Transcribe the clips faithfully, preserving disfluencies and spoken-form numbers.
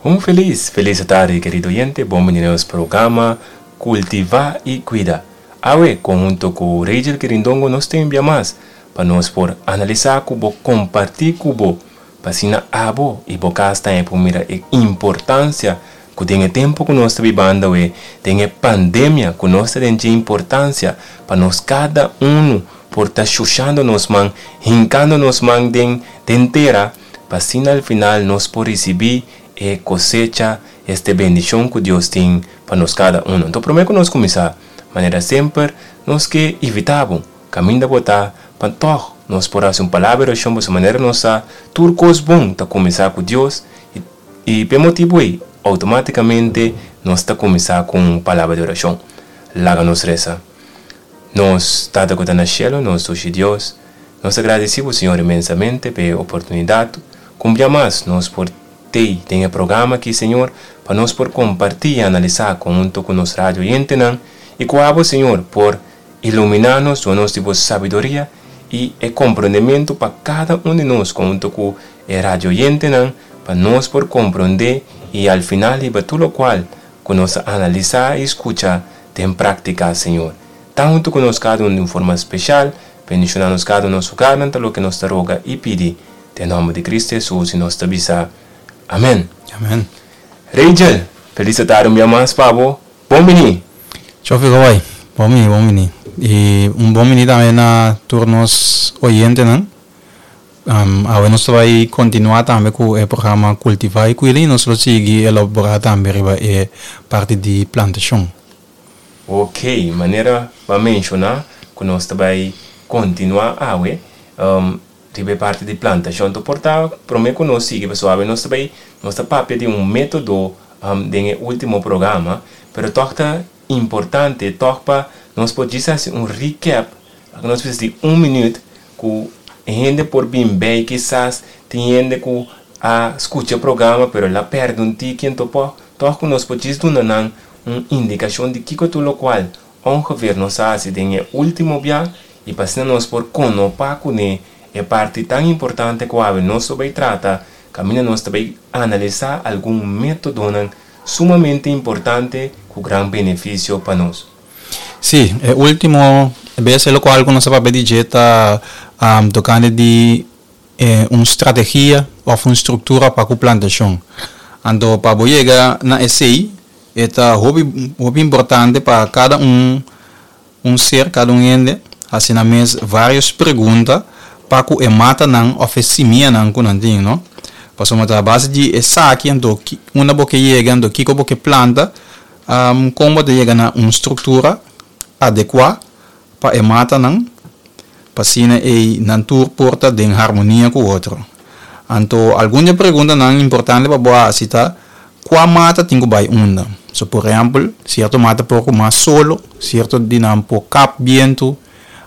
Un felis, felis tardi, kerido oyente. Bon bini na nos programa Kultivá i Kuida. Awe, konhunto ku Rachel Quirindongo, nos tin mas pa nos por analisá ku bo, kompartí ku bo, pa asina abo i bo kas tambe por mira e importansia ku den e tempu ku nos ta bibando, den e pandemia ku nos ta den, importansia pa nos kada un por ta shushando nos man, hinkando nos man den, den tera, pa asina al final nos por risibí e kosecha, esta bendishon ku Dios tin pa nos kada un. Anto, promé ku nos kuminsá, manera semper, nos ke invitá bo, kaminda bo ta, pa toch, nos por hasi un palabra di orashon, pa manera nos sa, tur kos bon ta kuminsá ku Dios, i, i pa e motibu ei, outomátikamente nos ta kuminsá ku un palabra di orashon. Laga nos resa. Nos Tata ku ta na shelu, nos dushi Dios, nos ta gradisí, Señor, inmensamente pa e oportunidat, ku mas nos por tin den e programa aki, Señor, pa nos por kompartí i analisá huntu ku nos radio oyentenan, i ku abo, Señor, por iluminá nos, duna nos di sabiduria i e komprondementu pa kada un di nos, huntu ku e radio oyentenan, pa nos por komprondé i al final riba tur lokual ku nos analisá i skucha den práktika, Señor. Ta huntu ku nos kada un di forma spesial, bendishoná nos kada un na nos hogar, ta loke nos ta roga i pidi, den nòmber di Kristu Hesus, i nos ta bisa. Amèn. Amèn. Rachel, felis tardi un biaha mas, pa bo. Bon bini. Chofi Goy, bon bini, bon bini. I un bon bini tambe na tur nos oyentenan. Um, awe nos ta bai kontinuá tambe ku e programa Kultivá i Kuida i nos ta sigui elaborá tambe riba e parti di plantashon. Ok, manera b'a menshoná ku nos ta bai kontinuá awe, um, riba parti di plantashon. Anto, por ta, promé ku nos sigui, pessoal, nos ta bai, nos ta papia di un método um, den último programa, pero toch ta importante, toch pa nos por hasi un recap, nos presis di un minüt, ku hende por bin bei, kisas tin hende ku a skucha e programa, pero el a pèrdè un tiki, anto po, toch ku nos por duna nan un indikashon di kiko tur lokual ongeveer nos a hasi den e último biaha i pa nos por konopa kuné e parti tan importante ku awe nos ta bai trata, kaminda nos ta bai analisá algun método sumamente importante ku gran benefisio pa nos. Sí, e último bes lokual ku nos a papia di ta um, tokante di eh, un strategia òf un struktura pa e plantashon. Anto, pa yega na esei, ta hopi, hopi importante pa kada un un ser, kada un hende, hasi nan mes vários pregunta pa ku e matanan òf e simianan ku nan tin, no? Pasobra a base di esaki, anto, unda bo ke yega, anto, kiko bo ke planta, um, kon bo yega na un struktura adekuá pa e matanan, pa asina e nan tur por ta den harmonia ku otro. Anto, algun preguntanan importante pa bo hasi ta kua mata tin ku bai unda. So, por ehèmpel, sierto mata por mas solo, sierto di nan por kap bientu,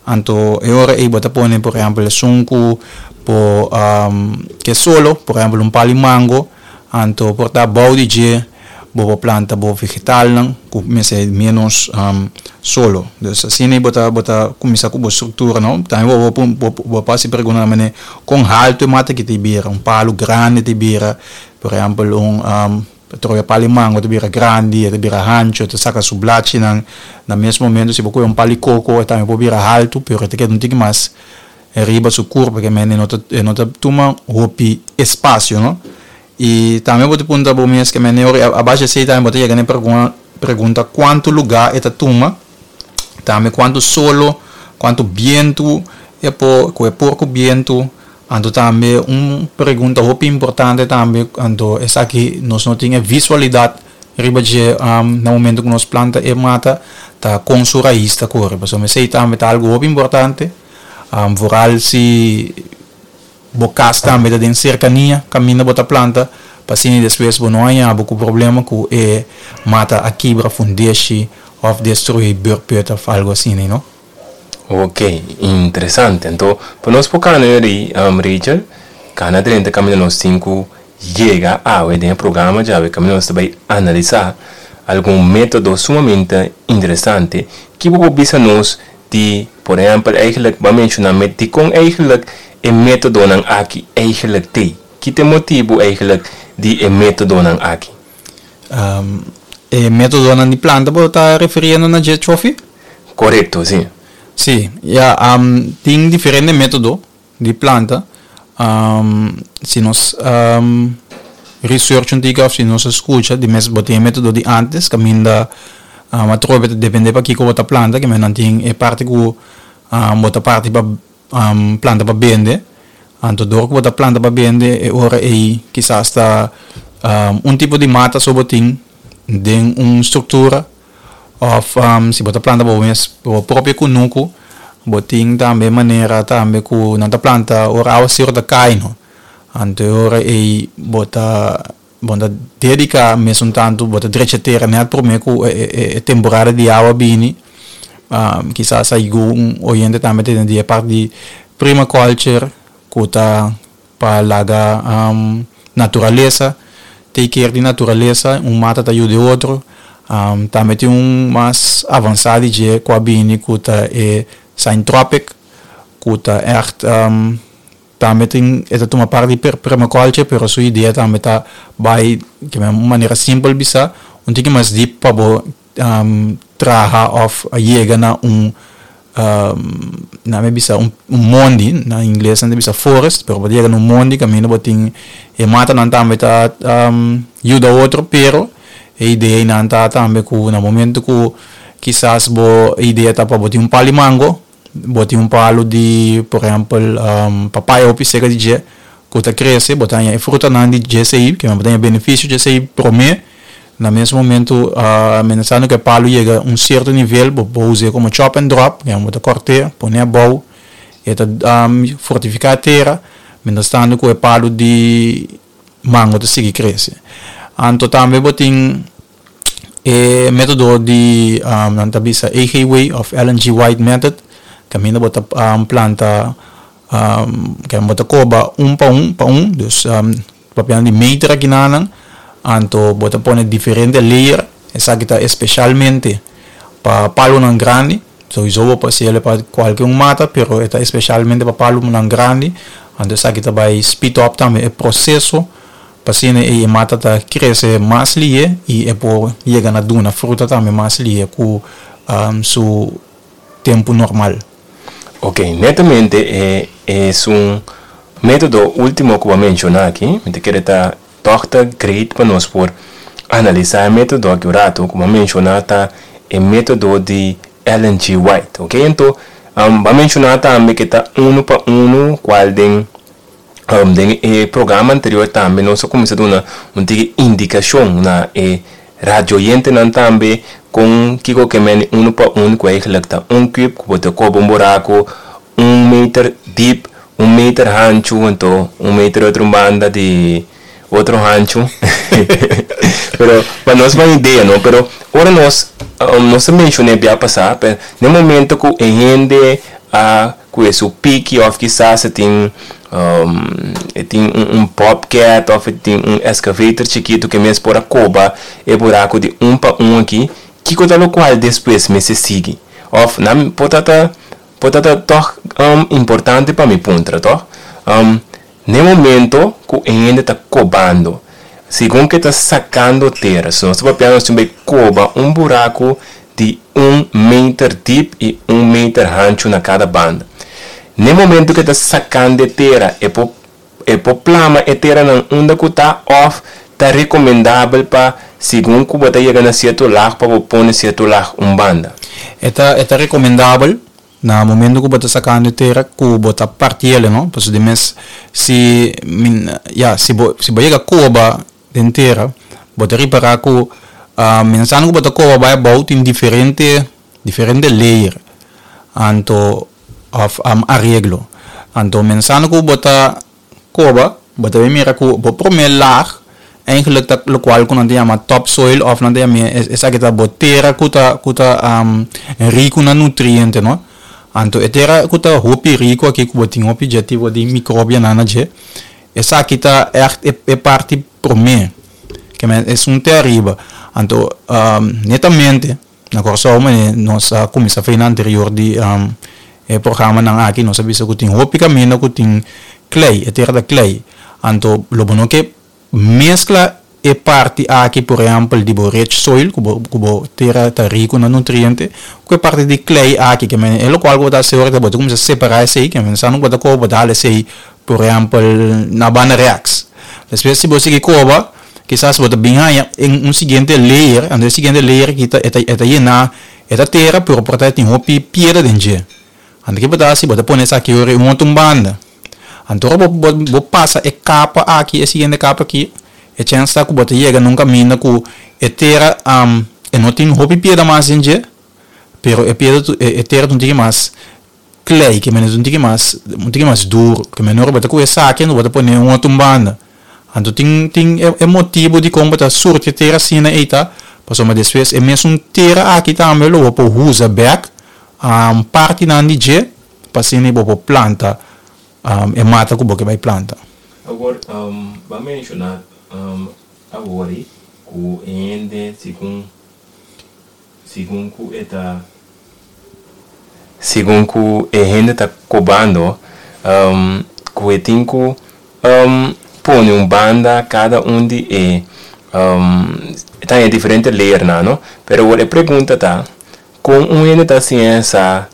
anto e ora ei bo ta pone, por ehèmpel, esun ku por um, ke solo, por ehèmpel, un pal'i mango, anto por ta bou di dje, bo por planta bo vegetalnan, ku mester menos um, solo. Dus asina bo ta bo ta kuminsá ku e struktura, no? Tambe bo bo bo por hasi pregunta manera kon haltu e mata aki ta bira, un palu grandi ta bira, por ehèmpel, un um, troya pal'i mango ta bira grandi, ta bira hanchu, ta saka su blachinan, na mes momento si bo un pal'i koko tambe por bira haltu, pero ta keda un tiki mas riba su kurpa, ke men no ta no ta tuma hopi espasio, no? I tambe bo ta puntra bo mes ke men a base esei tambe bo ta yega na pregunta pregunta kuantu lugá e ta tuma, tambe kuantu solo, kuantu bientu e por ku e por ku bientu, anto tambe un pregunta hopi importante tambe, anto esaki nos no tin visualidat riba dje um, na momento ku nos planta e mata, ta kon su rais ta kore. Pasobra esei tambe ta algu hopi importante, um, vooral si bo kas tambe ta den serkania, kaminda bo ta planta, pa asina despues bo no haña bo ku problema ku e mata a kibra fundeshi òf destruí beurput òf algu asina, no? Ok, interesante. Anto, pa nos por kana um, Rachel, kana drenta kaminda nos tin ku yega awe den programa djawe kaminda nos ta bai analisá algun método sumamente interesante ku por bisa nos di, por ehèmpel, eigenlijk b'a menshoná met di kon eigenlijk e métodonan aki eigenlijk t'ei. Ki ta e motibu eigenlijk Di e métodonan aki. Um, e métodonan di planta, bo ta refiriendo na dje, Chofi? Korekto, si. Si, ja, um, tin diferente método di planta. Um, si nos um, research un tiki, si nos skucha, di mes bo tin método di antes, kaminda um, atrobe dependé pa kiko bo ta planta, ke men tin e parti ku um, bo ta parti pa um, planta pa bende. Anto dor ku bo ta planta pa bende, e ora ei kisas ta um, un tipo di mata so bo tin den un struktura, òf um, si bo ta planta pa mes bo propio kunuku, bo tin tambe manera tambe ku nan ta planta ora awaseru ta kai, no? Anto ora ei bo ta bo ta dediká mesun tantu, bo ta drecha tera net promé ku e, e, e temporada di awa bini. Um, kisas algun oyente tambe tin di e parti di permaculture, ku ta pa laga um, naturalesa take care di naturalesa, un mata ta yuda otro. Um, tambe tin un mas avansá di dje ku a bini, ku ta e syntropic, ku ta echt um, tambe tin e ta tuma parti per permaculture, pero su idea tambe ta bai ku un manera simpel bisa un tiki mas diep pa bo um, traha òf yega na un um, na mi bisa un, un mondi, na ingles nan bisa forest, pero bo yega na un mondi kaminda bo tin e matanan tambe ta um, yuda otro. Pero e idea nan ta tambe ku na momento ku kisas bo idea ta pa bo tin un palu mango, bo tin un palu di, por ehèmpel, um, papaya òf seka di dje ku ta krese, bo ta e frutanan di dje sei, ku bo tin benefisio dje sei promé. Na mes momento, uh, pensando ku e palu yega un sierto nivel, bo por usa komo chop and drop, ku bo ta kòrta, pone abou, e ta um, fortifiká tera, mientras tantu ku e palu di mango ta sigui krese. Anto tambe bo tin e método di um, nan ta bisa A G Way òf Ellen G. White method, kaminda bo ta um, planta, um, ku bo ta koba un pa un pa un, dus um, papiando di meter aki nan. Anto bo ta pone diferente layer. Esaki ta espesialmente pa palunan grandi, sowieso bo por hasié pa kualke un mata, pero ta espesialmente pa palunan grandi. Anto esaki ta bai speed up tambe e proseso pa asina e mata ta krese mas lihé i e por yega na duna fruta tambe mas lihé ku um, su tempu normal. Ok, netamente e, e un método último ku mi a menshoná aki, mi ke ta toch ta great pa nos por analisá e método aki un ratu, ku mi a menshoná ta e método di Ellen G. White, ok? Anto, um, bo a menshoná tambe ku ta un pa un, kual den um, den e programa anterior tambe nos a kuminsá duna un indikashon na e radio oyentenan tambe kon kiko ke men un pa un, ku eigenlijk ta un kùp ku bo ta koba un buraku un meter diep, un meter hanchu, anto un meter otro banda di otro hanchu. Pero pa nos un idea, no? Pero ora nos um, nos a menshoná bia pasá, pero na momento ku e hende a ku su piki òf kisas tin um, tin un, un bobcat òf tin un excavator chikitu ku mes por a koba e buraku di un pa un aki, kiko ta lokual despues mester sigui? Òf nan por ta por ta toch um, importante pa mi puntra, toch? Um, na momento ku e hende ta kobando, segun ku ta sakando tera, si nos papia, nos tambe koba un buraku di un meter diep i un meter hanchu na kada banda. Na momento ku ta sakando tera, e por e por plama e tera nan unda ku ta, òf ta rekomendabel pa segun ku bo ta yega na sierto laag pa pone sierto laag un banda? E ta, e ta rekomendabel na momento ku bo ta sakando tera ku bo ta partié, no? Pasobra di mes si min, ja, si bo si bo yega koba den tera, bo ta ripará ku uh, pensando ku bo ta koba bai abou, tin diferente diferente layer anto of um, areglo. Anto pensando ku bo ta koba, bo ta mira ku bo promé laag eigenlijk ta lokual ku nan ta yama topsoil, òf nan ta yama esaki ta bo tera ku ta ku ta um, riku na nutriente, no? Anto e tera ku ta hopi riku aki, ku bo tin hopi dje tipo di mikrobionan na dje, esaki ta echt e, e parti promé ke men esun te ariba. Anto um, netamente na Kòrsou nos a kuminsá for anterior di um, e programanan aki, nos a bisa ku tin hopi kaminda ku tin klei, e tera ta klei. Anto lo bo no ke Meskla e parti aki, por ehèmpel, di bo rich soil, ku bo, ku bo tera ta riku na nutriente, ku e parti di klei aki, ke men e lokual ku bo ta hasi ora bo ta kuminsá separá esei, ke men sa no ku bo ta koba, bo ta hala esei, por ehèmpel, na banda rèks. Despues si bo sigui koba, kisas bo ta bin haña un siguiente layer, anto e siguiente layer aki ta e ta e ta yená, e ta tera, pero por ta tin hopi piedra den dje. Anto ke bo ta hasi? Bo ta pone esaki ora un otro banda. Anto ora bo bo bo pasa e kapa aki, e siguiente kapa aki, e chèns ta ku bo ta yega na un kaminda ku e tera e no tin hopi piedra mas den dje, pero e piedra e tera ta un tiki mas klei, ke mester un tiki mas un tiki mas duru, ke menor bo ta ku esaki anto bo ta pone un otro banda. Anto tin tin e motibu dikon bo ta surti e tera asina ei ta pasobra despues e mesun tera aki tambe lo bo por usa bèk partinan di dje pa asina bo por planta e mata ku bo ke bai planta. Awor, bo a menshoná awor ku e hende segun segun ku e ta segun ku e hende ta kobando ku e tin ku pone un banda kada un di e ta e diferente layernan, no? Pero awor e pregunta ta, kon un hende ta siña sa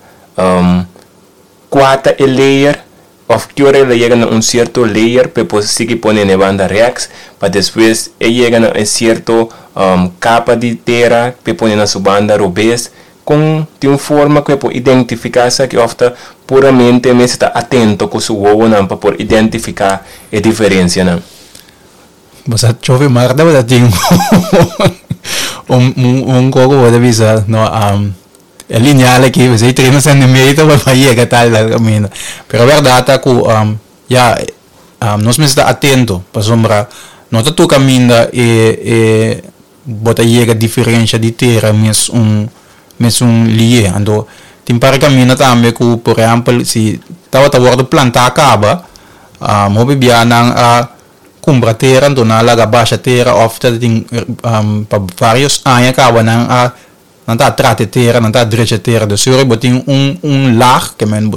kua ta e layer òf ki ora el a yega na un sierto layer pa e por sigui pone na e banda rèks pa despues e yega na e sierto kapa di tera pa e pone na su banda robes? Kon tin un forma ku e por identifiká esaki òf ta puramente e mester ta atento ku su wowonan pa por identifiká e diferensianan? Bo sa chofe mar tabata tin un un un koko bo ta bisa no e lineal aki esei treinta centimeter pa pa yega tal tal kaminda pero bèrdat ta ku ya nos mester ta atento pasobra no ta tur kaminda e e bo ta yega diferensha di tera mes un mes un lié anto tin par kaminda tambe ku por ehèmpel si tabata wòrdu plantá kaba hopi bia nan a kumpra tera anto nan a laga basha tera òf ta tin pa varios aña kaba nan a nan ta trata e tera, nan ta drecha e tera. Dus ora bo tin un un lag ke men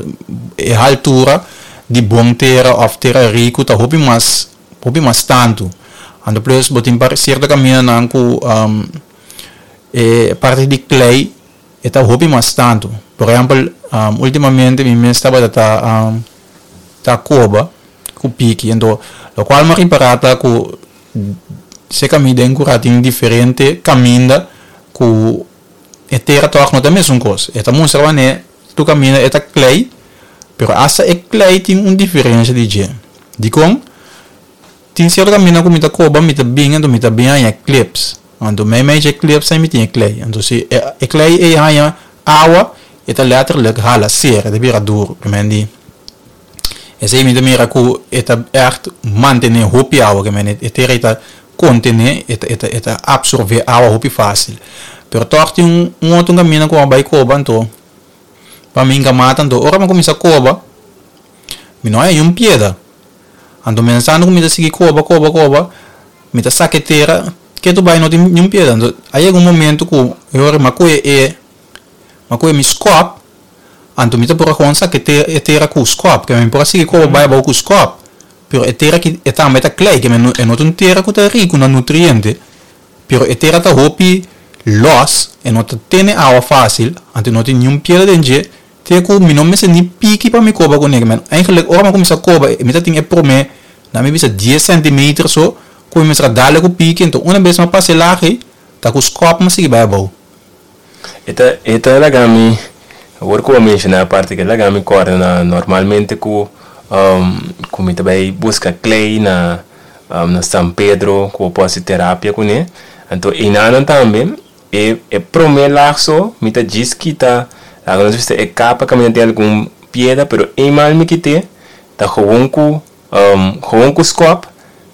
e haltura di bon tera òf tera riku ta hopi mas hopi mas tantu. Anto plus bo tin par sierto kamindanan ku e parti di klei e ta hopi mas tantu. Por ehèmpel ultimamente mi mes tabata ta ta koba ku piki anto lokual mi a ripará ta ku se kaminda den kura tin diferente kaminda ku e tera tòg no ta mesun kos. E ta mustra wanneer tur kaminda e ta klei, pero asta e klei tin un diferensha di dje. Dikon? Tin sierto kaminda ku mi ta koba mi ta bin anto mi ta bin haña klips. Anto meimei dje klips ei mi tin e klei. Anto si e klei ei haña awa e ta letterlijk hala ser, e ta bira duru. Ke men di esei mi ta mira ku e ta ègt mantené hopi awa. Ke men e tera ei ta kontené, e ta e ta e ta apsorbé awa hopi fásil. Pero tòg tin un un otro kaminda ku a bai koba anto pa mi hinka mata anto ora mi a kuminsá koba mi no haña un piedra. Anto mensando ku mi ta sigui koba koba koba mi ta saka e tera ketu bai no tin niun piedra. Anto a yega un momento ku e ora mi a kohe e mi a kohe mi skòp anto mi ta por a kon saka e tera ku skòp ke mi por a sigui koba bai abou ku skòp pero e tera aki e tambe ta klei ke e no ta un tera ku ta riku na nutriente pero e tera ta hopi lòs e no ta tene awa fásil anto no tin niun piedra den dje. Te ku mi no mester ni piki pa mi koba ku nega. Eigenlijk ora mi a kuminsá koba mi ta tin e promé na mi bisa dies sentimeter so ku mi mester a dale ku piki enton una bes mi a pasa e lag ei ta ku skòp mi a sigui bai abou. E ta e ta laga mi awor ku bo a menshoná e parti ke laga mi kòrda na normalmente ku ku mi ta bai buska klei na na San Pedro ku bo por hasi terapia kuné anto einanan tambe E e prome lag so mi ta djis kita laga nos bisa e kapa kaminda tin algun piedra pero eenmaal mi kite ta gewoon ku gewoon ku skòp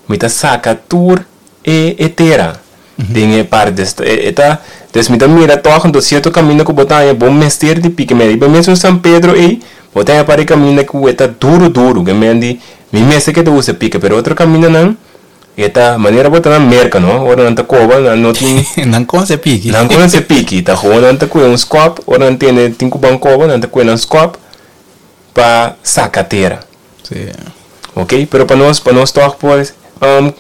mi ta saka tur e e tera den e parti des e ta des mi ta mira tòg anto sierto kaminda ku bo ta haña bo mester di piki mei riba mesun San Pedro ei bo ta haña par e kaminda ku e ta duru duru ke men di mi mester ke ta usa pika pero otro kamindanan E ta manera bo ta na Merca no, ora nan ta coba nan no tin. Nan conoce piki. Nan conoce piki, ta gewoon nan ta cue un scop, ora nan tende tin cu ban coba nan ta cue nan scop pa saca tera. Si. Ok, pero pa nos, pa nos toch por um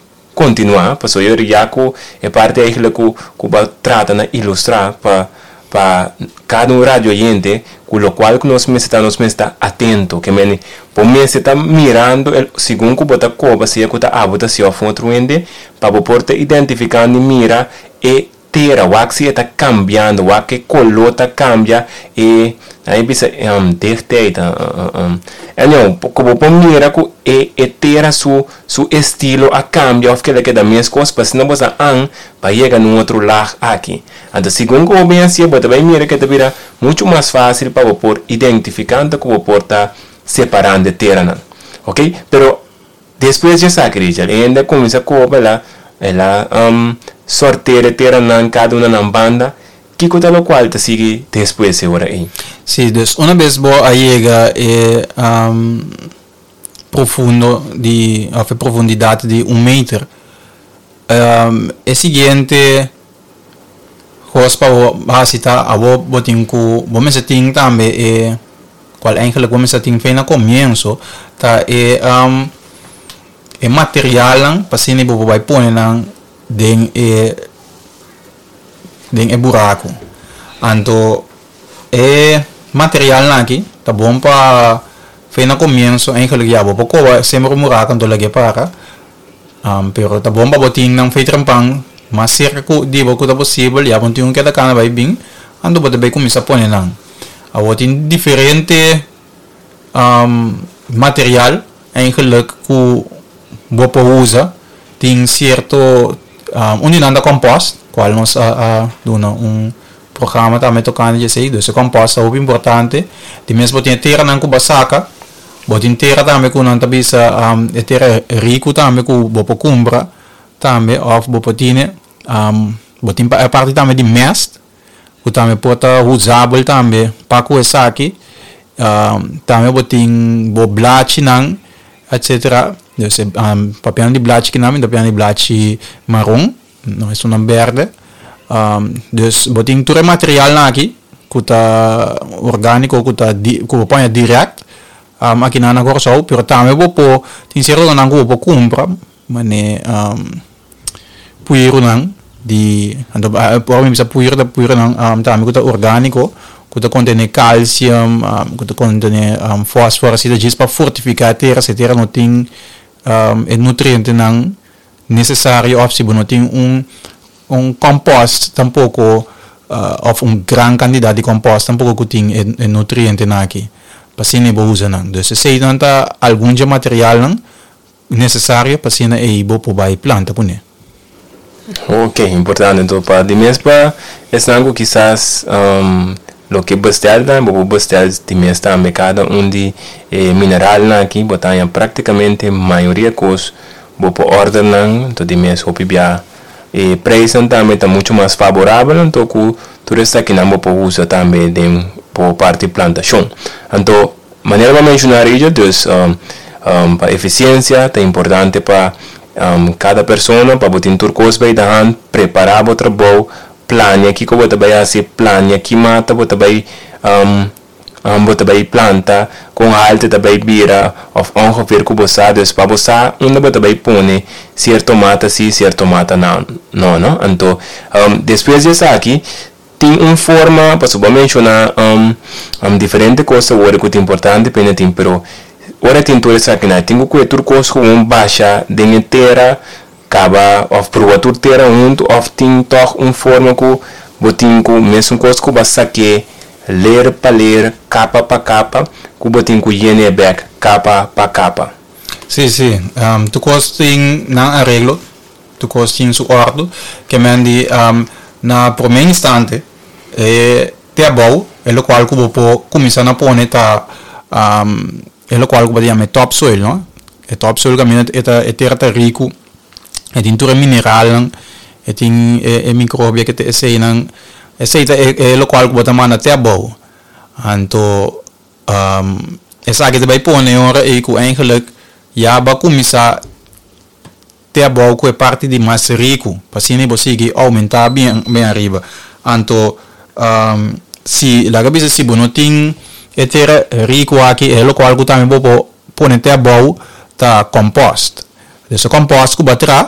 kontinuá, pasobra ya ku e parti eigenlijk ku ku bo a trata na ilustrá pa pa kada un radio oyente, ku lokual ku nos mester ta nos mester ta atento, ke men bo mester ta mirando el segun ku bo ta koba, sea ku ta abo ta hasi òf otro hende, pa bo por ta identifikando i mira e tera, wak si e ta kambiando, wak e koló ta kambia, e ai bisa um, dichtheid, uh, uh, um, anyhow, ku bo por mira ku e, e tera su su estilo a kambia òf ku el a keda meskos, pa asina bo sa an pa yega na un otro laag aki. Anto, segun ku bo bin hasi, bo ta bai mira ku ta bira muchu mas fásil pa bo por identifiká anto ku bo por ta separando e teranan. Ok? Pero despues di esaki, Richard, e hende a kuminsá koba, el a el a um, sorteer e teranan kada un na nan banda. Kiko ta lokual ta sigui despues e ora ei? Sí, dus una bes bo a yega e um, profundo di, òf e profundidat di un meter, um, e siguiente kos pa bo hasi ta abo bo tin ku bo mester tin tambe e kual eigenlijk bo mester tin for na komienso ta e um, e materialnan pa asina bo por bai pone nan den e den e buraku. Anto e materialnan aki ta bon pa for na komienso eigenlijk ya bo por koba semper un buraku anto lag'é para, um, pero ta bon pa bo tin nan for trempan mas serka ku di bo ku ta posibel, ya bo tin un keda kana bai bin, anto bo ta bai kuminsá pone nan. Awor tin diferente um, material eigenlijk ku bo por usa. Tin sierto um, un di nan ta compost, kual nos a, a duna un programa tambe tokante di esei. Dus e compost ta hopi importante. Di mes bo tin e teranan ku bo a saka, bo tin tera tambe ku nan ta bisa um, e tera riku tambe ku bo por kumpra tambe òf bo por tine um, bo tin pa e parti tambe di mest ku tambe por ta usabel tambe pa ku esaki. um, tambe bo tin bo blachinan, etcétera. Dus e um, papiando di blachi kinan, mi ta papiando di blachi maron, no esunnan berde. Um, dus bo tin tur e materialnan aki ku ta orgániko, ku ta di, ku bo por haña dirèkt um, akinan na Kòrsou, pero tambe bo por tin sierto nan ku bo por kumpra manera um, puirunan di, anto ora mi bisa puiru ta puirunan um, tambe ku ta orgániko, ku ta kontené kalsium, um, ku ta kontené um, fòsforo, asina djis pa fortifiká e tera si e tera no tin um, e nutrientenan nesesario òf si bo no tin un un compost tampoko uh, òf un gran kantidat di compost tampoko ku tin e, e nutrientenan aki pa asina bo usa nan. Dus eseinan ta algun dje materialnan nesesario pa asina ei bo por bai planta kuné. Ok, importante. Anto pa di mes pa esnan ku kisas um, loke bestel tambe, bo por bestel di mes tambe kada un di e mineralnan aki, bo ta haña práktikamente mayoria kos bo por order nan, anto di mes hopi bia e prijsnan tambe ta muchu mas favorabel, anto ku tur esakinan bo por usa tambe den bo parti plantashon. Anto manera bo a menshoná Richard, dus um, um, pa efisiensia ta importante pa um, kada persona pa bo tin tur kos bij de hand, prepará bo trabou, plania kiko bo ta bai hasi, plania ki mata bo ta bai um, um, bo ta bai planta, kon altu ta bai bira òf ongeveer ku bo sa, dus pa bo sa unda bo ta bai pone sierto mata si, sierto mata no, no, no? Anto um, despues di esaki tin un forma, pasobra bo a menshoná um, um, diferente kos awor ku ta importante pa tin, pero ora tin tur esakinan, tin ku kue tur kos gewoon basha den e tera kaba òf proba tur tera huntu òf tin tòg un forma ku bo tin ku mesun kos ku bo a sak'é layer pa layer, kapa pa kapa, ku bo tin ku yen'é bèk kapa pa kapa? Sí, sí. Um, tur kos tin nan areglo, tur kos tin su òrdu. Ke men di um, na promé instante e te abou, e lokual ku bo por kuminsá na pone ta um, e lokual ku bo ta yama e topsoil, no? E topsoil kaminda e ta e tera ta riku, e tin tur e mineralnan, e tin e, e mikrobio ku ta eseinan, esei ta e, e lokual ku bo ta manda te abou. Anto um, esaki ta bai pone ora ei ku eigenlijk ya bo a kuminsá te abou ku e parti di mas riku, pa asina bo sigui oumentá bien bien ariba. Anto um, si laga bisa si bo no tin e tera riku aki, e lokual ku tambe bo por pone te abou ta compost. Dus e compost ku bo a traha,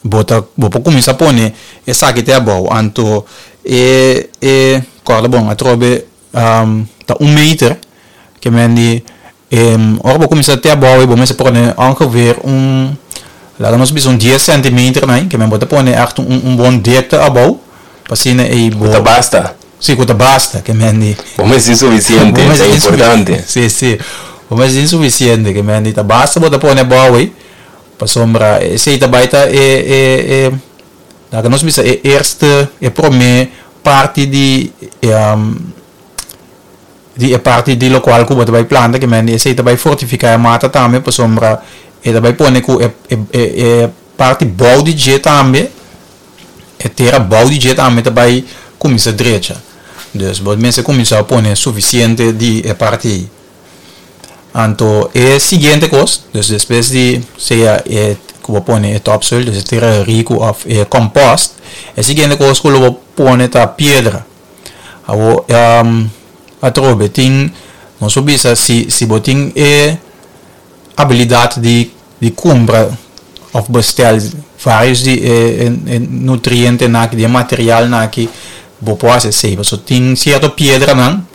Bo ta bo por kuminsá pone esaki te abou. Anto e e kòrda bon atrobe um, ta un meter ke men di um, ora bo kuminsá te abou, bo mester pone ongeveer un, laga nos bisa, un dies centimeter, né, ke men bo ta pone echt un, un bon dikte abou pa asina e bo Ta basta. Si, ku ta basta, ke men di Bo mester sufisiente, ta importante. Si, si. Bo mester sufisiente, ke men di ta basta bo ta pone abou ei. Pasobra esei ta bai ta e e e laga nos bisa e eerste, e promé parti di um, di e parti di lokual ku bo ta bai planta, ke men di esei ta bai fortifiká e mata tambe, pasobra e ta bai pone ku e e e, e parti bou di dje tambe, e tera bou di dje tambe ta bai kuminsá drecha. Dus bo mester kuminsá pone sufisiente di e parti ei. Anto e siguiente kos, dus despues di sea e ku bo pone e topsoil, dus e tera riku òf e compost, e siguiente kos ku lo bo pone ta piedra. Awo um, atrobe tin, nos bisa, si si bo tin e abilidat di di kumpra òf bestel varios di e, e, e nutrientenan aki, di materialnan aki, bo por hasi esei. So tin sierto piedranan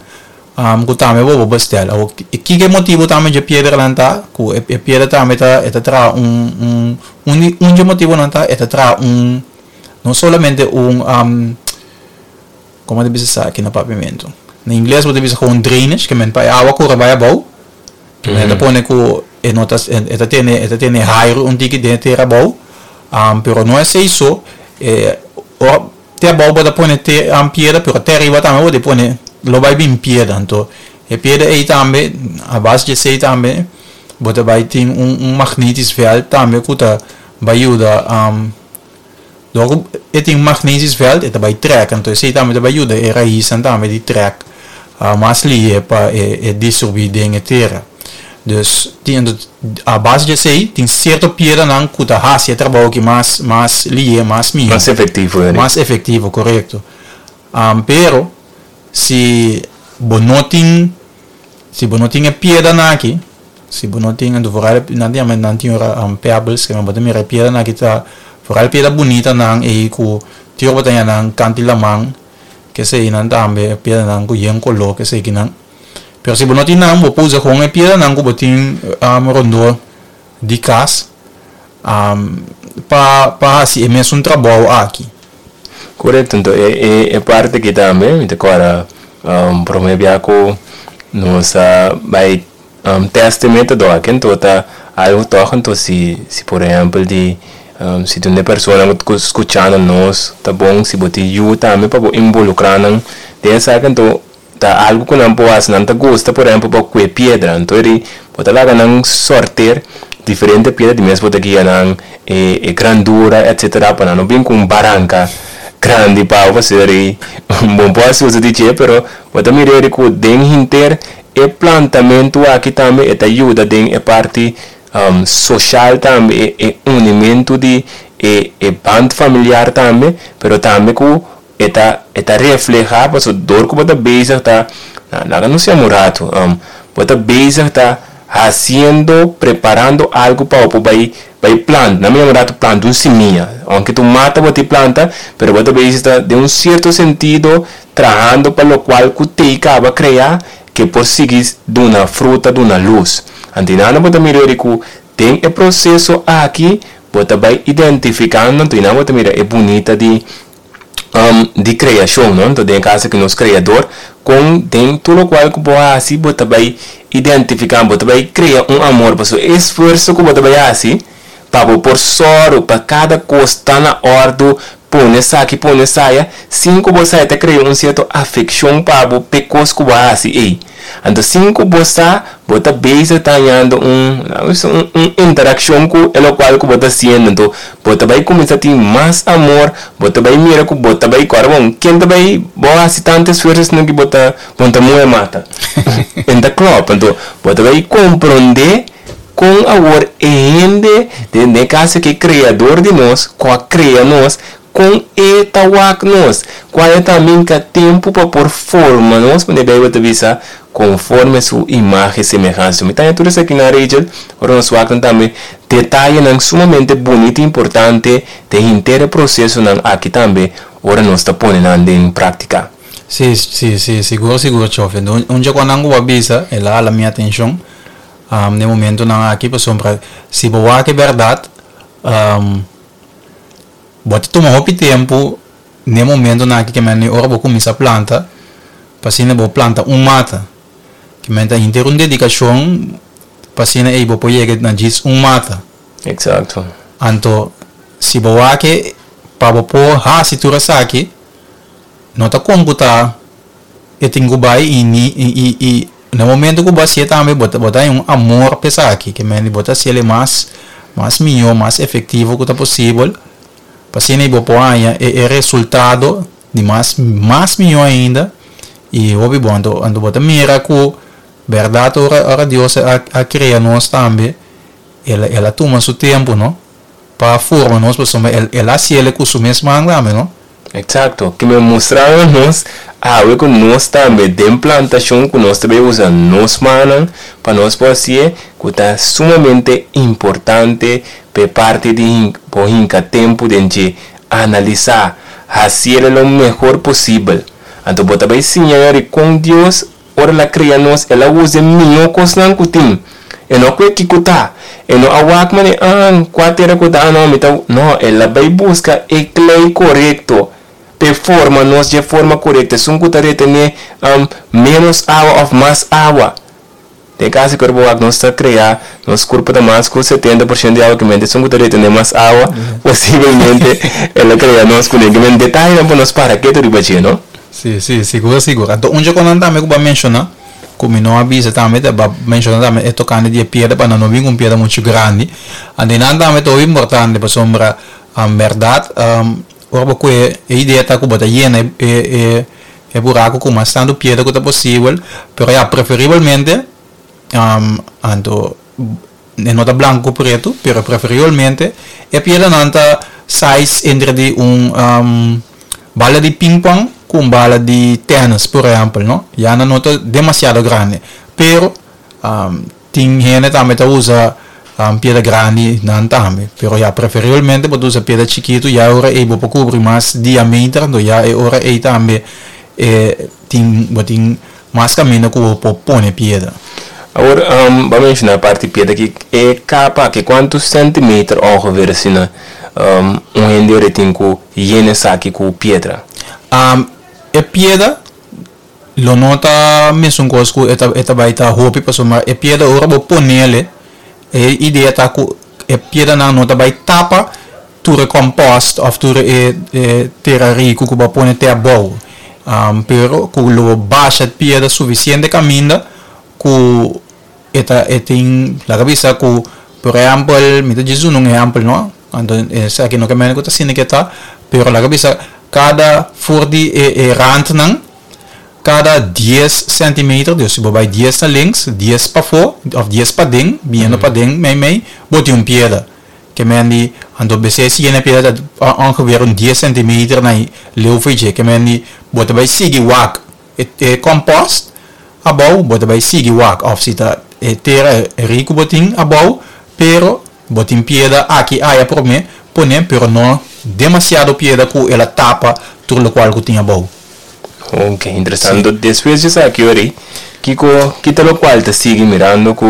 um, ku tambe bo por bestel. Awo ki motibu tambe di piedranan ta ku e, e piedra tambe ta e ta traha un un un un di motibunan ta e ta traha un no solamente un um, kon ta bisa aki na papiamentu? Na ingles bo ta bisa gewoon drainage, ke men pa awa kore bai abou. Mm -hmm. Pone ku e no ta e ta tene e ta tene airu un tiki den tera abou. Um, pero no ta esei, e o te abou bo ta pone te um, piedra, pero te ariba tambe bo ta pone, lo bai bin piedra. Anto e piedra ei tambe, a base di esei tambe, bo ta bai tin un, un magnetisch veld tambe ku ta bai yuda um, Logo, e tin magnetisch veld, e ta bai trek, anto esei tambe ta bai yuda e raisnan tambe di trek uh, mas lihé pa e, e distribuí den e tera. Dus tin a base di esei, tin sierto piedranan ku ta hasi e trabou ku mas mas lihé, mas mihó. Mas efektivo, hè? Mas efektivo, korekto. Um, pero si bo no tin si bo no tin e piedranan aki, si bo no tin, vooral nan tin nan tin ora um, pebbles, ke bo ta mira piedranan aki ta vooral piedra bunitanan e ku tio bo ta nan kant'i laman, ke sei nan tambe piedranan ku yen koló, ke sei nan. Pero si bo no tin nan, bo por usa gewoon e piedranan ku bo tin um, rondó di kas um, pa pa hasi e mesun trabou aki. Korekto, anto e, e, e parti aki tambe, mi ta kòrda um, promé bia ku nos a bai um, test e método aki, anto ta algu toch, anto si, si por ehèmpel di um, si tin un persona ku skuchando nos, ta bon si bo tin yu tambe pa bo involukrá nan den esaki, anto ta algu ku nan por hasi, nan ta gusta, por ehèmpel, pa kue piedra, anto eri bo ta laga nan sorteer diferente piedra, di mes bo ta guia nan e, e grandura, et cetera, pa nan no bin ku un baranka grandi pa bo ser bon por hasi uso di dje, pero bo ta mira ku den henter e plantamentu aki tambe e ta yuda den e parti um, sosial tambe, e, e unimentu di e, e band familiar tambe, pero tambe ku e ta e ta reflehá paso dor ku bo ta bezig ta na laga nos yama un ratu um, bo ta bezig ta hasiendo, preparando algu pa bo bai bai planta, na mi yama ratu planta un simia, aunke tur mata bo ta planta, pero bo ta bezig ta den un sierto sentido trahando pa lokual ku t'ei kaba krea ku por sigui duna fruta, duna lus. Anto nan bo ta mira ku den e proseso aki bo ta bai identifikando, anto nan bo ta mira e bunita di um, di kreashon, no? Anto, den kaso ku nos kreador, ku den tur lokual ku bo hasi, bo ta bai identifiká, bo ta bai krea un amor, pa e esfuerso ku bo ta bai hasi, pa bo por sòru, pa kada kos ta na òrdu, pone esaki, pone esaya, sin ku bo sa ta krea un sierto afekshon pa bo p'e kos ku bo hasi ei. Anto, sin ku bo sa, bo ta bezig ta hañando un, un, un interakshon ku e lokual ku bo ta hasiendo. Anto, bo ta bai kuminsá tin mas amor, bo ta bai mira ku bo ta bai, awor bon, ken ta bai, bo hasi tantu esfuerso sino ku bo ta, bo ta muhe mata. Enta klopt, anto, bo ta bai komprondé kon awor e hende, den kaso ku e kreador di nos, ku a krea nos, Kon e ta wak nos, kual ta hinka tempu pa por forma nos, manera Beibel ta bisa, konforme su imagen i semehansa. Mi ta tur esaki na Rachel, ora nos wak tambe detayenan sumamente bunita i importante den henter prosesonan aki tambe, ora nos ta pone den práktika. Si, si, si, sigur, sigur, Chofe. Un dia ku bo a bisa, el a hala mi atenshon, um, na momentonan aki, pasobra, si bo wak e berdat, um, bo ta tuma hopi tempu na momentonan aki ke men ora bo kuminsá planta, pa asina bo planta un mata. Ke men ta henter un dedikashon pa asina ei bo por yega na djis un mata. Eksakto. Anto, si bo wak pa bo por hasi tur esaki, no ta komputa e tin ku bai i ni i i i na momento ku bo hasié tambe bo ta bo ta un amor pa esaki, ke men bo ta hasié mas mas mihó, mas efektivo ku ta posibel, pa asina bo por haña e, e resultado di mas mas mihó ainda i hopi bon. Anto anto bo ta mira ku berdat ora ora Dios a, a kria nos tambe, el a el a tuma su tempu, no? Pa forma nos, pasobra el el a hasié ku su mes man tambe, no? Eksakto. Ke men mustra nos awe ku nos tambe den plantashon ku nos tambe usa nos mannan pa nos por hasié, ku ta sumamente importante pa parti di por hinka tempu den analisá, hasié lo mehor posibel. Anto bo tambe siña kon Dios ora el a kria nos, el a usa mihó kosnan ku tin. E no kue kiko ta. E no a wak mane ah kua tera ku ta no mi ta no, el a bai buska e klei korekto. Pe forma nos di forma korekto. Esun ku ta retené um, menos awa òf mas awa. Den kaso ku wak nos ta krea, nos kurpa ta mas ku setenta porshento di awa, ke men esun ku ta retené mas awa, posiblemente el a kria nos ku ke men detayenan pa nos para ketu riba dje, no? Si, si, sigur, sigur. Anto, un ku nan tambe ku bo a menshoná, ku mi no a bisa tambe, ta menshoná tambe e tokante di piedra pa no bin un piedra muchu grandi. Anto nan tambe ta importante pasobra um, berdat, um, ora ku e idea ta ku bo ta yena e e e buraku ku mas tantu piedra ku ta posibel, pero ya preferiblemente um, anto e no ta blanku pretu, pero preferiblemente e piedranan ta size entre di un um, bala di ping-pong ku un bala di tennis, por ehèmpel, no? Ya no ta demasiado grandi, pero um, tin hende tambe ta usa um, piedra grandinan tambe, pero ya preferiblemente bo usa piedra chikitu, ya ora ei bo por kubri mas diameter, anto ya e ora ei tambe eh, tin bo tin mas kaminda ku por pone piedra. Awor, um, ban menshoná parti piedra aki, e kapa ku kuantu sèntimeter ongeveer asina um, un hende tin ku yena esaki ku piedra? Um, e piedra lo no ta mesun kos ku e ta e ta bai ta hopi, pasobra e piedra ora bo ponele, e idea ta ku e piedranan no ta bai tapa tur e compost òf tur e, e tera riku ku bo a pone te abou. Um, pero ku lo basha piedra sufisiente kaminda ku e ta e tin laga bisa ku por ehèmpel, mi ta djis un ehèmpel, no? Anto esaki no ke men ku ta asina ku ta, pero laga bisa kada for di e, e randnan kada dies sèntimeter, dus si bo bai dies na links, dies pafó òf dies paden, biniendo paden mei mei, bo tin un piedra. Ke men di anto bese siguiente piedra ongeveer un dies sèntimeter na leu for dje. Ke men di bo ta bai sigui wak e, e compost abou, bo ta bai sigui wak òf si ta e tera riku bo tin abou, pero bo tin piedra aki aya promé pone, pero no demasiado piedra ku el a tapa tur lokual ku tin abou. Ok, interesante. Despues di esaki, ori, kiko, kita lokual ta sigui mirando ku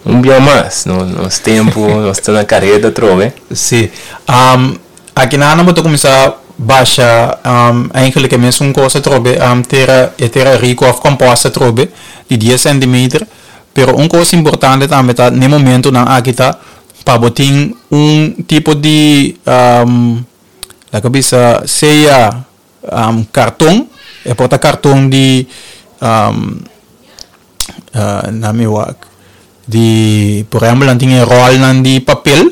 un dia mas, no, nos tempu, nos ta na kareda trobe. Si. Um, aki nan bo ta kuminsá basha um, eigenlijk e mesun kos trobe, um, tera, e tera riku òf compost trobe di dies sèntimeter, pero un kos importante tambe ta na momentonan aki ta pa bo tin un tipo di um, laga bisa sea um, karton, e por ta karton di um, uh, na mi wak di por ehèmpel nan tin e ròlnan di papel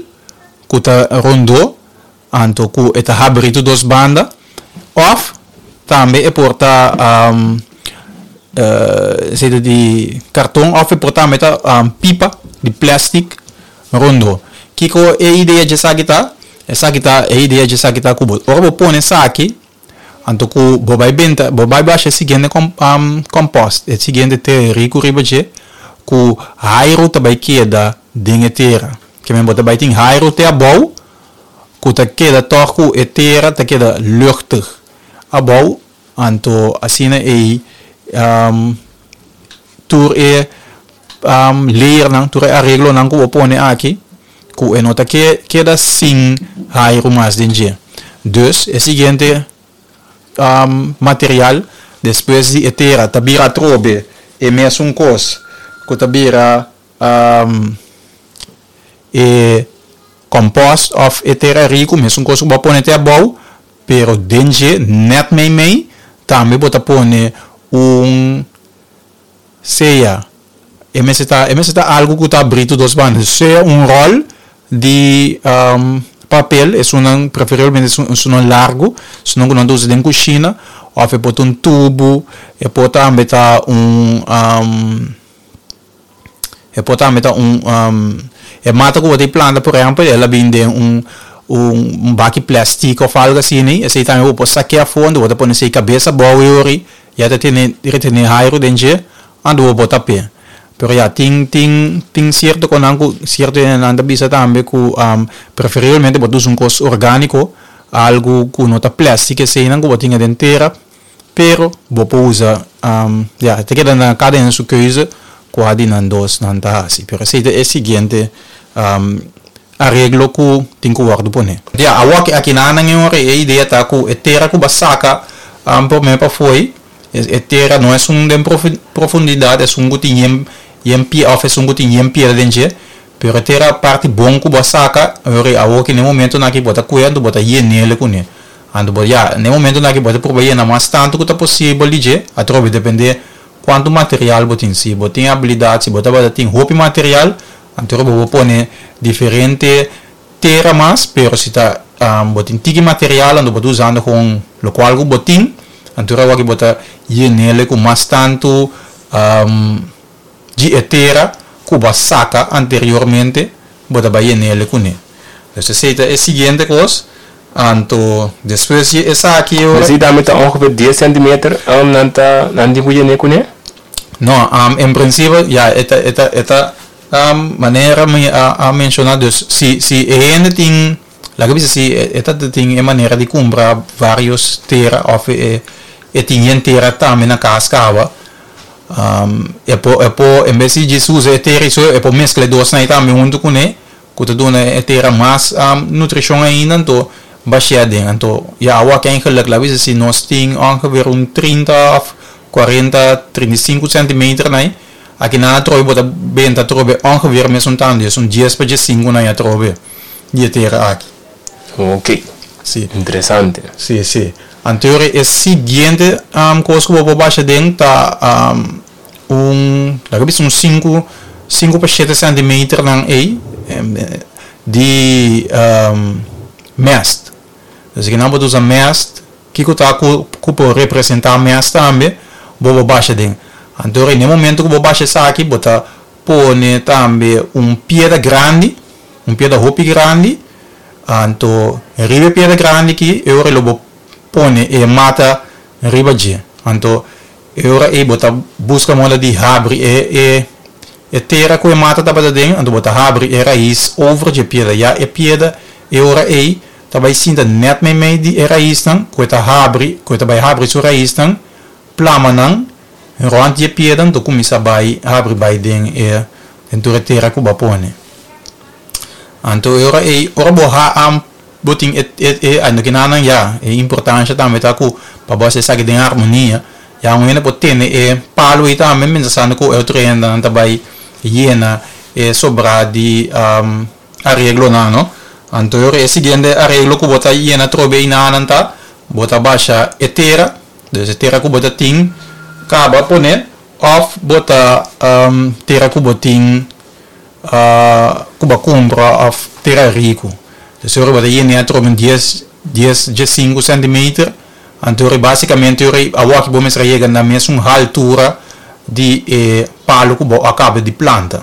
ku ta rondó anto ku e ta habri tur dos banda, òf tambe e por ta um, uh, sea di karton òf e por tambe ta um, pipa di plastic rondó. Kiko e idea di esaki ta? Esaki ta e idea di esaki ta ku bo ora bo pone esaki, anto ku bo bai benta, bo bai basha e siguiente com, um, compost, e siguiente tera riku riba dje, ku airu ta bai keda den e tera. Ke men bo ta bai tin airu te abou, ku ta keda tòg ku e tera ta keda luchtig abou, anto asina ei um, tur e um, layernan, tur e areglonan ku bo pone aki, ku e no ta ke, keda sin airu mas den dje. Dus e siguiente um, material despues di e tera ta bira atrobe e mesun kos ku ta bira um, e compost of e tera riku, mesun kos ku bo pone te abou, pero den dje net mei mei tambe bo ta pone un sea e mester ta e mester ta algu ku ta abrí tur dos banda, sea un ròl di um, papel, esunnan preferiblemente esunnan largu, esunnan ku nan ta usa den kushina, òf e por ta un tubo, e por tambe ta un um, e por tambe ta un um, e mata ku bo ta planta, por ehèmpel, el a bin den un un baki plastic òf algu asina, esei tambe bo por sak'é afó, bo ta pone esei kabes abou i ori, ya ta tene retene airu den dje, anto bo por tap'é. Pero ya, tin tin tin sierto konan ku sierto hendenan ta bisa tambe ku um, preferiblemente bo ta usa un kos orgániko, algu ku no ta plastic eseinan ku bo tin den tera, pero bo por usa um, ya, ta keda na kada hende su keuze kua di nan dos nan ta hasi. Pero esei ta e siguiente um, areglo ku tin ku wòrdu poné. Ya, awor aki nan e idea ta ku e tera ku bo a saka um, promé pafó, e, e tera no ta un den profundidat, e un ku tin yen yen pie òf e un ku tin yen piedra den dje, pero tera parti bon ku bo a saka, awor ku na momento nan ku bo ta kue, bo ta yen'é kuné. Anto bo ya, na momento nan ku bo ta proba yena mas tantu ku ta posibel di dje, atrobe dependé kuantu material bo tin. Si bo tin abilidat, si bo ta tin hopi material, anto bo por pone diferente tera mas, pero si ta um, bo tin tiki material, anto bo ta usando ku lokual ku bo tin, anto awor bo ta yen'é ku mas tantu um, di tera ku bo a saka anteriormente, bo ta bai yen'é kuné. Dus esei ta e siguiente kos. Anto despues di esaki Dus die daarmee ongeveer dies centimeter um, nan ta nan di kuye kuné? No, um, en prinsipio, ja, e ta, e ta, e ta um, manera mi a, a menshoná, dus si si e hende tin, laga bisa, si e ta tin e manera di kumpra varios tera òf e e tin tera tambe na kas kaba, um, e por e por en bes di usa e tera so, e por meskla dos nan tambe huntu kuné, ku ta duna e tera mas um, nutrishon ainda, anto bash'é aden. Anto ja, awor eigenlijk, laga bisa, si nos tin ongeveer un trinta òf kuarenta, trinta i sinku centimeter, nee, aki nan atrobe bo ta benta atrobe ongeveer mesun tantu, dus un dies pa sinku nan atrobe di tera aki. Ok. Si. Interesante. Si, si. Anto e siguiente um, kos ku bo por basha aden ta um, un, laga bisa, un sinku sinku pa shete centimeter nan ei di um, mest. Dus aki nan bo ta usa mest, ku ta ku ku por representá mest tambe, bo por basha aden. Anto, na momento ku bo basha esaki, bo ta pone tambe un piedra grandi, un piedra hopi grandi, anto riba piedra grandi aki, e ora bo pone e mata riba dje. Anto e ora ei bo ta buska moda di habri e e e tera ku e mata tabata aden, anto bo ta habri e rais over di piedra. Ya e piedra e ora ei ta bai sinta net mei mei di e raisnan, ku ta habri, ku ta bai habri su raisnan, plama nan rònt di piedra, anto kuminsá bai habri bai den e den tur e tera ku bo a pone. Anto e ora ei ora bo ha am bo tin e e e ano ku nan ya e importansia tambe ta ku pa bo sa den harmonia. Ya, un hende por tene e palu ei tambe mientras ku e otro hende nan ta bai yena e sobra di um, areglo nan, no? Anto e siguiente areglo ku bo ta yena trobe nan ta bo ta basha e tera, dus e tera ku bo ta tin kaba pone òf bo ta um, tera ku bo tin uh, ku bo a kumpra òf tera riku. Dus ora bo ta yena trobe dies dies sinku centimeter. Anto básikamente awor ku bo mester yega na mesun altura di eh, palu ku bo a kaba di planta.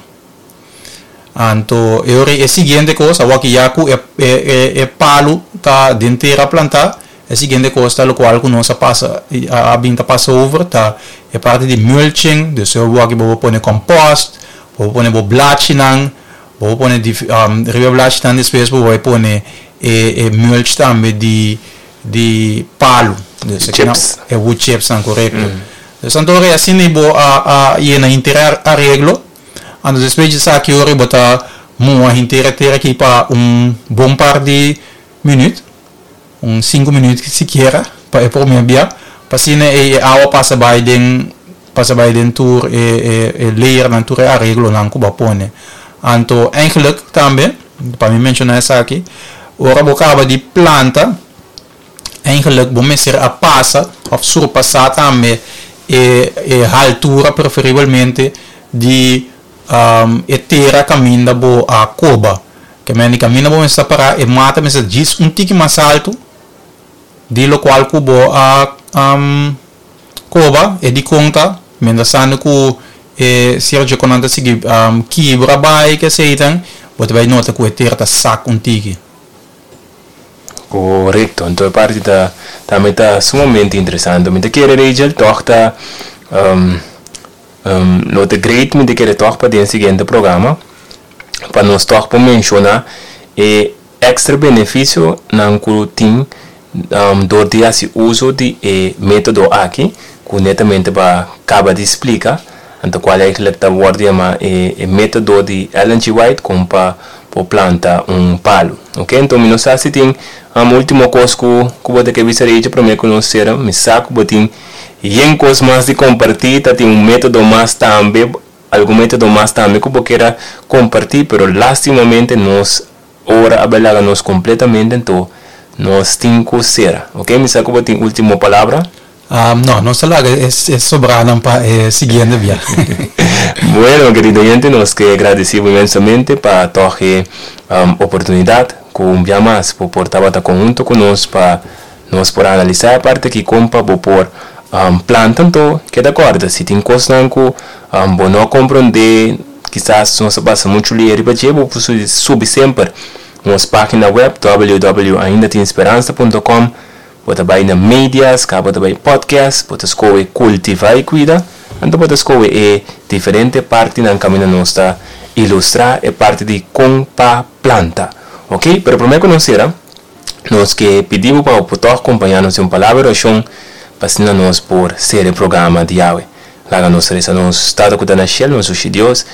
Anto, e ora e siguiente kos, awor ku ya ku e, e, e, e palu ta den tera plantá, e siguiente kos ta lokual ku nos a pasa, a bin ta pasa over, ta e parti di mulching, dus awor aki bo pone compost, bo pone bo blachinan, bo pone di, um, riba blachinan despues bo pone e, e mulch tambe di di palu. Dus chips. E wood chips nan, korekto. Mm. Dus anto asina bo a a yena henter areglo. Anto despues di esaki ora bo ta muha henter tera aki pa un bon par di minüt, un sinku minüt sikiera, pa e promé bia, pa asina e awa pasa bai den pasa bai den tur e e e layer nan, tur e areglo nan ku bo a pone. Anto eigenlijk tambe, pa mi menshoná esaki, ora bo kaba di planta, eigenlijk bo mester a pasa òf surpasá tambe e e altura preferiblemente di um, e tera kaminda bo a koba. Ke men kaminda bo mester para e mata mester djis un tiki mas altu di lokual ku bo a um, koba. E di konta mientras tantu ku e Sergio konanta sigui um, kibra bai ke seitan, bo ta bai nota ku e tera ta sak un tiki. Korekto. Anto e parti ta tambe ta sumamente interesante. Mi ta kere, Rachel, toch ta um, um, lo ta great, mi ta kere toch pa den siguiente programa pa nos toch por menshoná e extra benefisio nan ku tin um, dor di hasi uso di e método aki ku netamente b'a kaba di splika. Anto kual eigenlijk ta wòrdu yamá e, e método di Ellen G. White kon pa por planta un palu. Ok, anto mi no sa si tin un último kos ku ku bo ta ke bisa, Rachel, promé ku nos sera. Mi sa ku bo tin yen kos mas di kompartí, ta tin un método mas tambe, algun método mas tambe ku bo ke kompartí, pero lastimamente nos ora a bai laga nos kompletamente, anto nos tin ku sera. Ok, mi sa ku bo tin último palabra. Um, no, nos ta laga e, e sobrá nan pa e siguiente bia. Bueno, kerido oyente, nos ke gradisí inmensamente pa toch um, oportunidat ku un bia mas por por tabata konhunto ku nos pa nos por analisá e parti aki kon pa bo por um, planta. Anto keda kòrda, si tin kosnan ku um, bo no komprondé, kisas nos a pasa muchu lihé riba dje, bo por subi semper nos página web w w w punt ainda tin speransa punt com, bo ta bai na medias, kaba bo ta bai podcast, bo ta skohe Kultivá i Kuida, anto bo ta skohe e diferente partinan kaminda nos ta ilustrá e parti di kon pa planta. Ok? Pero promé ku nos sera, nos ke pidi bo pa por kompañá nos den un palabra di orashon pa asina nos por sera e programa di awe. Laga nos resa. Nos Tata ku ta na shelu, nos Dios,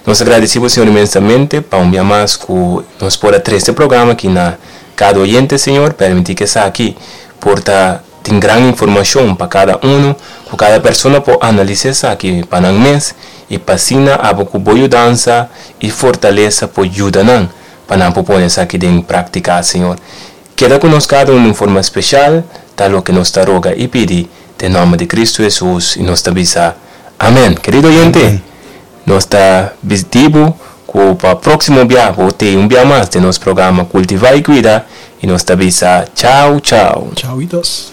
nos ta gradisí, Señor, inmensamente pa un dia mas ku nos por a trese e programa aki na kada oyente, Señor. Permití ku esaki por ta tin gran informashon pa kada un, ku kada persona por analisá esaki pa nan mes i pa asina abo ku bo yudansa i fortalesa por yuda nan pa nan por pone esaki den práktika, Señor. Keda ku nos kada un di forma spesial, ta loke nos ta roga i pidi, den nòmber di Kristu Hesus, i nos ta bisa amèn. Kerido oyente, nos ta despedí bo ku pa próksimo bia bo tin un bia mas di nos programa Kultivá i Kuida i nos ta bisa chau chau. Chau, itos.